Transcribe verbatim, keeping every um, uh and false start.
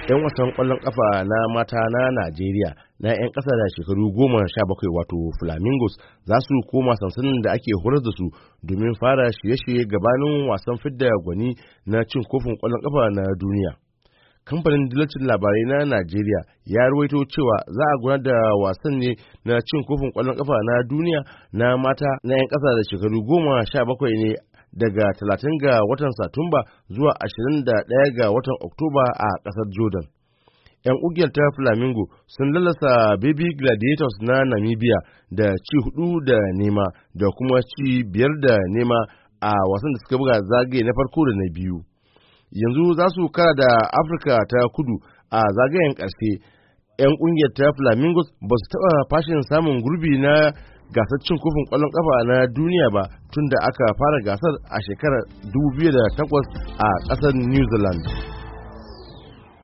'Yan wasan kwallon kafa na mata na Najeriya na 'yan ƙasa da shekaru goma sha bakwai wato Flamingos za su koma sansanin da ake horar da su domin fara shirye-shirye gabanin wasan fidda gwani na cin kofin kwallon kafa na duniya. Kamfanin dillacin labarai na Najeriya ya ruwaito cewa za a gudanar da wasan ne na cin kofin kwallon kafa na duniya na mata na 'yan ƙasa da shekaru goma sha bakwai ne daga talatin ga watan Satumba zuwa ashirin da ɗaya ga watan Oktoba a ƙasar Jordan. 'Yan ƙungiyar ta Flamingo sun lalasa Baby Gladiators na Namibia da ci hudu da nema da kuma ci biyar da nema a wasan da suka buga zagaye na farko da na biyu. Yanzu za su kara da Afirka ta Kudu a zagayen ƙarshe. 'Yan ƙungiyar ta Flamingos ba su taɓa fashin samun gurbi na gasar cin kofin kwallon kafa na duniya ba tun da aka fara gasar a shekarar dubu biyu da takwas a ƙasar New Zealand.